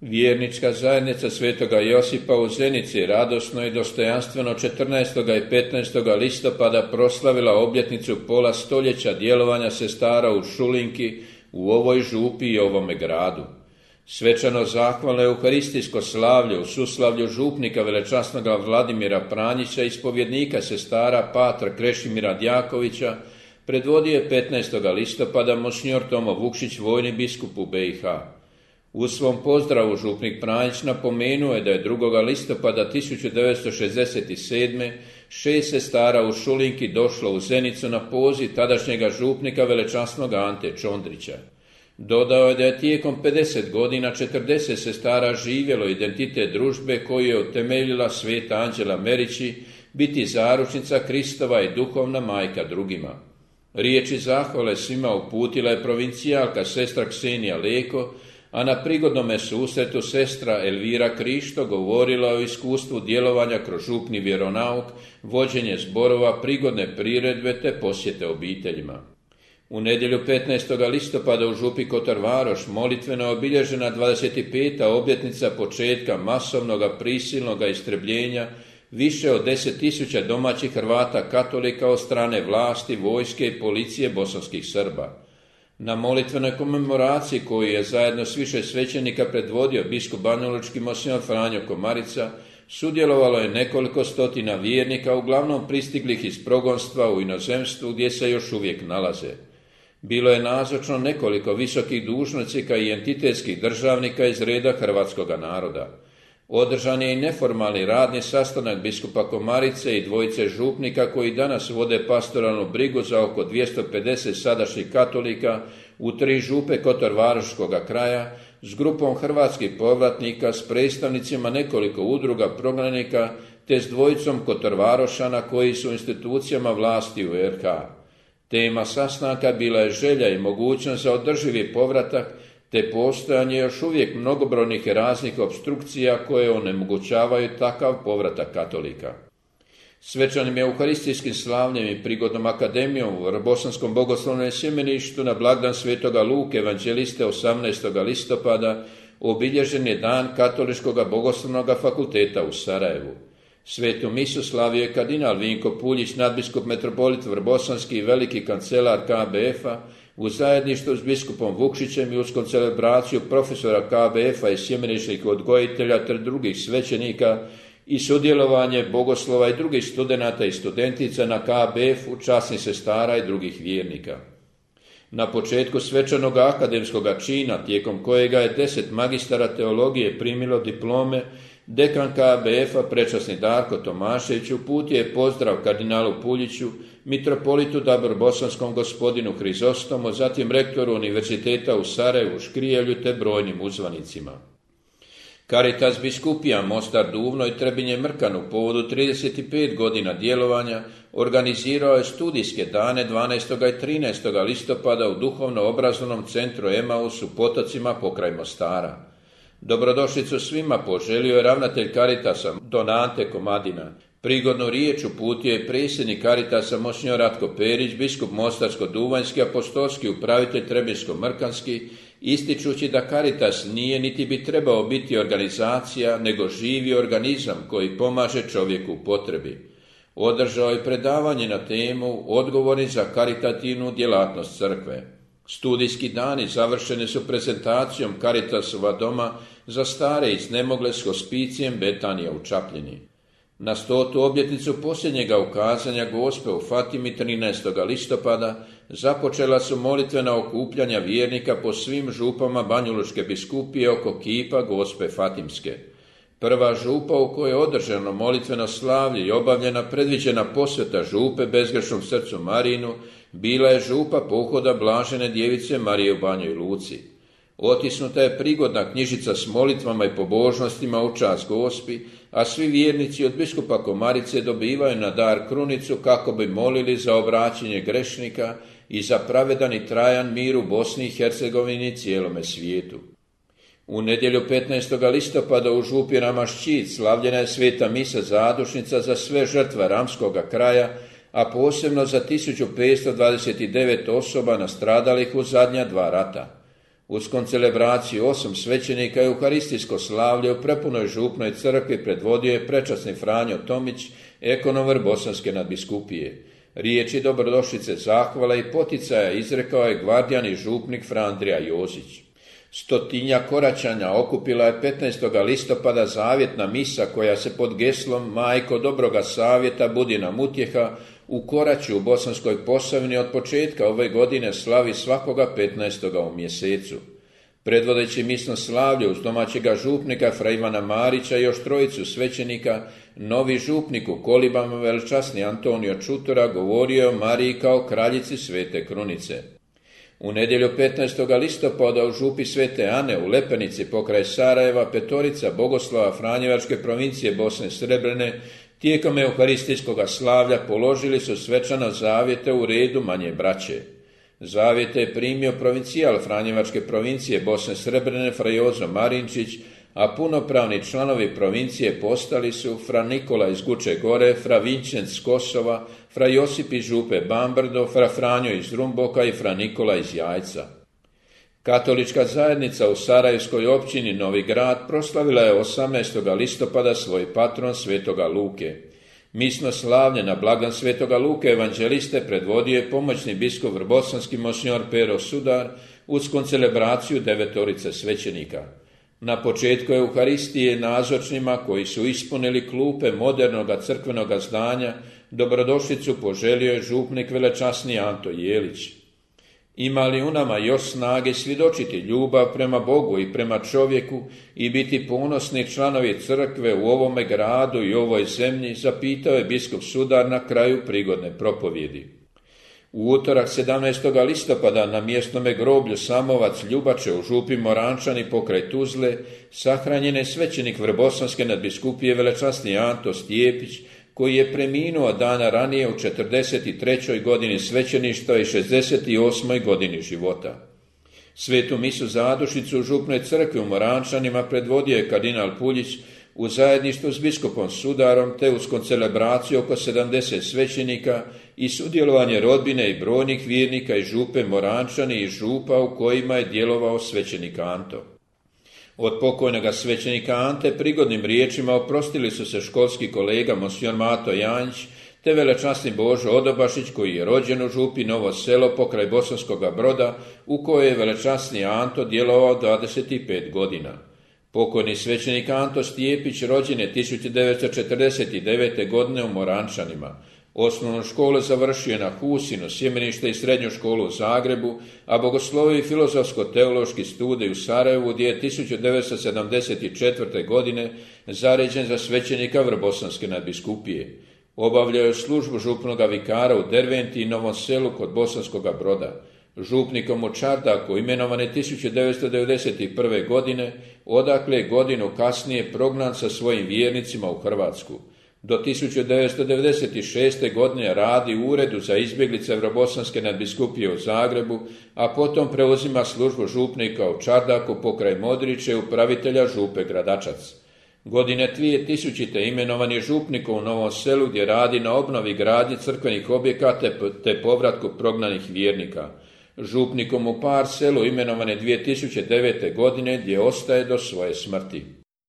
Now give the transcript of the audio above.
Vjernička zajednica Svetoga Josipa u Zenici radosno i dostojanstveno 14. i 15. listopada proslavila obljetnicu pola stoljeća djelovanja sestara u Šulinki, u ovoj župi i ovome gradu. Svečano zahvalno euharistijsko slavlje u suslavlju župnika velečasnoga Vladimira Pranjića i ispovjednika sestara Patra Krešimira Djakovića predvodio je 15. listopada monsinjor Tomo Vukšić, vojni biskup u BiH. U svom pozdravu župnik Pranjić napomenuo je da je 2. listopada 1967. 6 sestara u Šulinki došlo u Zenicu na poziv tadašnjega župnika velečasnog Ante Čondrića. Dodao je da je tijekom 50 godina 40 sestara živjelo identitet družbe koju je utemeljila sveta Anđela Merići, biti zaručnica Kristova i duhovna majka drugima. Riječi zahvale svima uputila je provincijalka sestra Ksenija Leko, a na prigodnome susretu sestra Elvira Krišto govorila o iskustvu djelovanja kroz župni vjeronauk, vođenje zborova, prigodne priredbe te posjete obiteljima. U nedjelju 15. listopada u župi Kotor Varoš molitveno je obilježena 25. obljetnica početka masovnog prisilnog istrebljenja više od 10.000 domaćih Hrvata katolika od strane vlasti, vojske i policije bosanskih Srba. Na molitvenoj komemoraciji koju je zajedno s više svećenika predvodio biskup banjalučki monsinjor Franjo Komarica, sudjelovalo je nekoliko stotina vjernika, uglavnom pristiglih iz progonstva u inozemstvu gdje se još uvijek nalaze. Bilo je nazočno nekoliko visokih dužnosnika i entitetskih državnika iz reda hrvatskoga naroda. Održan je i neformalni radni sastanak biskupa Komarice i dvojice župnika koji danas vode pastoralnu brigu za oko 250 sadašnjih katolika u 3 župe Kotor-Varoškoga kraja s grupom hrvatskih povratnika, s predstavnicima nekoliko udruga prognanika te s dvojicom Kotor-Varošana koji su u institucijama vlasti u RH. Tema sastanka bila je želja i mogućnost za održivi povratak te postojanje još uvijek mnogobrojnih raznih opstrukcija koje onemogućavaju takav povratak katolika. Svečanim euharistijskim slavljem i prigodnom akademijom u Bosanskom bogoslovnom sjemeništu na blagdan Svetoga Luke evanđeliste 18. listopada obilježen je dan Katoličkog bogoslovnog fakulteta u Sarajevu. Svetu misu slavio je kardinal Vinko Puljić, nadbiskup metropolit Vrbosanski i veliki kancelar KBF-a, u zajedništvu s biskupom Vukšićem i uz celebraciju profesora KBF-a i sjemeničkih odgojitelja te drugih svećenika i sudjelovanje bogoslova i drugih studenata i studentica na KBF-u, časnih sestara i drugih vjernika. Na početku svečanog akademskog čina, tijekom kojega je 10 magistara teologije primilo diplome, dekan KBF-a prečasni Darko Tomašević uputio je pozdrav kardinalu Puljiću, mitropolitu Dabrobosanskom gospodinu Hrizostomu, zatim rektoru Univerziteta u Sarajevu, Škrijelju te brojnim uzvanicima. Caritas biskupija Mostar Duvno i Trebinje Mrkan u povodu 35 godina djelovanja organizirao je studijske dane 12. i 13. listopada u duhovno-obrazovnom centru Emaus u Potocima pokraj Mostara. Dobrodošlicu svima poželio je ravnatelj Caritasa don Ante Komadina. Prigodnu riječ uputio je predsjednik Caritasa monsinjor Ratko Perić, biskup Mostarsko-Duvanjski, apostolski upravitelj Trebinsko-Mrkanski, ističući da Caritas nije niti bi trebao biti organizacija, nego živi organizam koji pomaže čovjeku u potrebi. Održao je predavanje na temu Odgovori za karitativnu djelatnost crkve. Studijski dani završeni su prezentacijom Caritasova doma za stare i iznemogle s hospicijem Betanija u Čapljini. Na 100. obljetnicu posljednjega ukazanja Gospe u Fatimi 13. listopada započela su molitvena okupljanja vjernika po svim župama Banjalučke biskupije oko kipa Gospe Fatimske. Prva župa u kojoj je održano molitveno slavlje i obavljena predviđena posveta župe bezgrešnom srcu Marinu bila je župa pohoda Blažene djevice Marije u Banjoj Luci. Otisnuta je prigodna knjižica s molitvama i pobožnostima u čast Gospi, a svi vjernici od biskupa Komarice dobivaju na dar krunicu kako bi molili za obraćanje grešnika i za pravedan i trajan mir u Bosni i Hercegovini i cijelome svijetu. U nedjelju 15. listopada u župi Ramašćit slavljena je sveta misa zadušnica za sve žrtve Ramskoga kraja, a posebno za 1529 osoba nastradalih u zadnja 2 rata. Uz koncelebraciju 8 svećenika i euharistijsko slavlje u prepunoj župnoj crkvi predvodio je prečasni Franjo Tomić, ekonomer Bosanske nadbiskupije. Riječi dobrodošlice, zahvala i poticaja izrekao je gvardijan i župnik Fra Andrija Jozić. 100 koračanja okupila je 15. listopada zavjetna misa koja se pod geslom Majko dobroga savjeta budi nam utjeha u Koraću u Bosanskoj Posavini od početka ove godine slavi svakoga 15. u mjesecu. Predvodeći misno slavlje uz domaćega župnika Fra Ivana Marića i još trojicu svećenika, novi župnik u Kolibama velčasni Antonio Čutura govorio je o Mariji kao kraljici Svete Krunice. U nedjelju 15. listopada u župi Svete Ane u Lepenici pokraj Sarajeva petorica bogoslova Franjevačke provincije Bosne Srebrene tijekom euharistijskog slavlja položili su svečano zavjete u redu manje braće. Zavjete je primio provincijal Franjevačke provincije Bosne Srebrene Fra Jozo Marinčić, a punopravni članovi provincije postali su Fra Nikola iz Guče Gore, Fra Vinčenc s Kosova, Fra Josip iz župe Bambrdo, Fra Franjo iz Rumboka i Fra Nikola iz Jajca. Katolička zajednica u Sarajevskoj općini Novi Grad proslavila je 18. listopada svoj patron Svetoga Luke. Misno slavlje na blagdan Svetoga Luke evanđeliste predvodio je pomoćni biskup vrbosanski monsignor Pero Sudar uz koncelebraciju 9 svećenika. Na početku euharistije nazočnima koji su ispunili klupe modernog crkvenog zdanja dobrodošlicu poželio je župnik velečasni Anto Jelić. Ima li u nama još snage svjedočiti ljubav prema Bogu i prema čovjeku i biti ponosni članovi crkve u ovome gradu i ovoj zemlji, zapitao je biskup Sudar na kraju prigodne propovjedi. U utorak 17. listopada na mjesnome groblju Samovac Ljubače u župi Morančani pokraj Tuzle sahranjen je svećenik Vrbosanske nadbiskupije velečasni Anto Stjepić, koji je preminuo dana ranije u 43. godini svećeništva i 68. godini života. Svetu misu zadušnicu u župnoj crkvi u Morančanima predvodio je kardinal Puljić u zajedništvu s biskupom Sudarom te uz koncelebraciju oko 70 svećenika i sudjelovanje rodbine i brojnih vjernika iz župe Morančani i župa u kojima je djelovao svećenik Anto. Od pokojnoga svećenika Ante prigodnim riječima oprostili su se školski kolega monsignor Mato Janjić te velečasni Božo Odobašić koji je rođen u župi Novo Selo pokraj Bosanskoga Broda u kojoj je velečasni Anto djelovao 25 godina. Pokojni svećenik Anto Stjepić rođen je 1949. godine u Morančanima. Osnovnu školu završio je na Husinu, sjemenište i srednju školu u Zagrebu, a bogoslovio i filozofsko-teološki studij u Sarajevu gdje je 1974. godine zaređen za svećenika Vrbosanske nadbiskupije. Obavljao je službu župnoga vikara u Derventi i Novom Selu kod Bosanskoga Broda. Župnikom u Čardaku imenovan je 1991. godine, odakle je godinu kasnije prognan sa svojim vjernicima u Hrvatsku. Do 1996. godine radi u Uredu za izbjeglice Vrbosanske nadbiskupije u Zagrebu, a potom preuzima službu župnika u Čardaku pokraj Modriće i upravitelja župe Gradačac. Godine 2000. imenovan je župnikom u Novom Selu gdje radi na obnovi gradnje crkvenih objekata te povratku prognanih vjernika. Župnikom u Par Selu imenovan je 2009. godine gdje ostaje do svoje smrti.